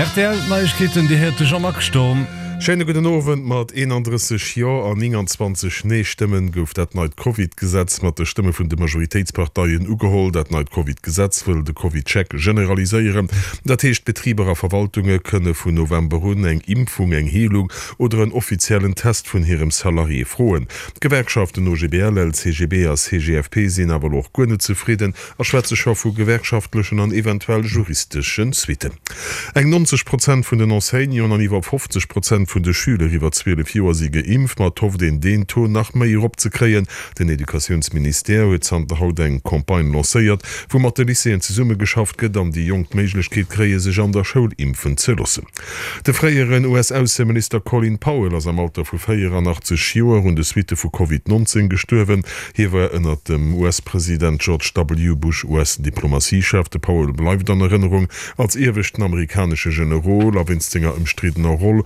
Rtl Neiegkeeten, Dir héiert de Jean-Marc Sturm. Schéine gudden Owend. Mat 31 Jo an 29 Nee-Stëmmen gouf dat neit Covid-Gesetz mat de Stëmme vun de Majoritéitsparteien ugeholl. Dat neit Covid-Gesetz wëll de Covid-Check generaliséieren. Dat heescht, Betriber a Verwaltunge kënne vun November un eng Impfung, eng Heelung oder en offiziellen Test vun hirem Salarié froen. D'Gewerkschaften OGBL, LCGB a CGFP sinn awer elo och guer net zefridden a schwätze scho vu gewerkschaftlechen an eventuell juristesche Suitten. Eng 90 Prozent vun den Enseignanten an iwwer 50 Prozent vun de Schüler iwwer 12 Joer si geimpft, ma et hofft een deen Taux nach méi erop ze kréien. Den Educatiounsministère huet zanter haut eng Campagne lancéiert, wou mat de Lycéeën zesummegeschafft gëtt an déi Jonk d'Méiglechkeet kréie sech an der Schoul impfen ze loossen. De fréieren US-Ausseminister Colin Powell ass am Alter vu 84 Joer un de Suitte vu Covid 19 gestuerwen. Hie war ënnert dem US-President George W. Bush US-Diplomatiechef. De Powell bleift an Erënnerung als ieweschten amerikanesche Generol a wéinst senger ëmstriddener Roll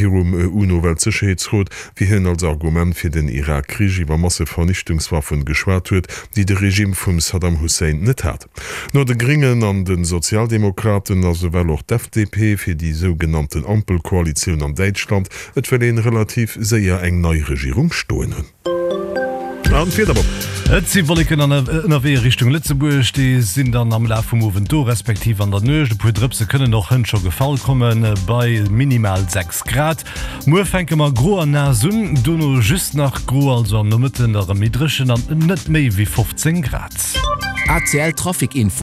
virum UNO-Weltsécherheetsrot, wéi hien als Argument fir den Irak-Krich iwwer Massevernichtungswaffen geschwat huet, déi de Regime vum Saddam Hussein net hat. No de Gréngen an de Sozialdemokraten ass ewell och d'FDP fir déi sougenannten Ampelkoalitioun an Däitschland. Et wëll een relativ séier eng nei Regierung stoen hunn. An d'Wieder op. Et si Wolleken ënnerwee a Richtung Lëtzebuerg, déi sinn dann am Laf vum Owend do, respektiv an der Nuecht. E puer Drëpse kënnen och hënt scho gefall komme bei minimal 6 Grad. Muer fänke mer gro an naass un, dono just nach gro, also am Nomëtten erëm méi dréchen an net méi wéi 15 Grad. ACL Trafic Info.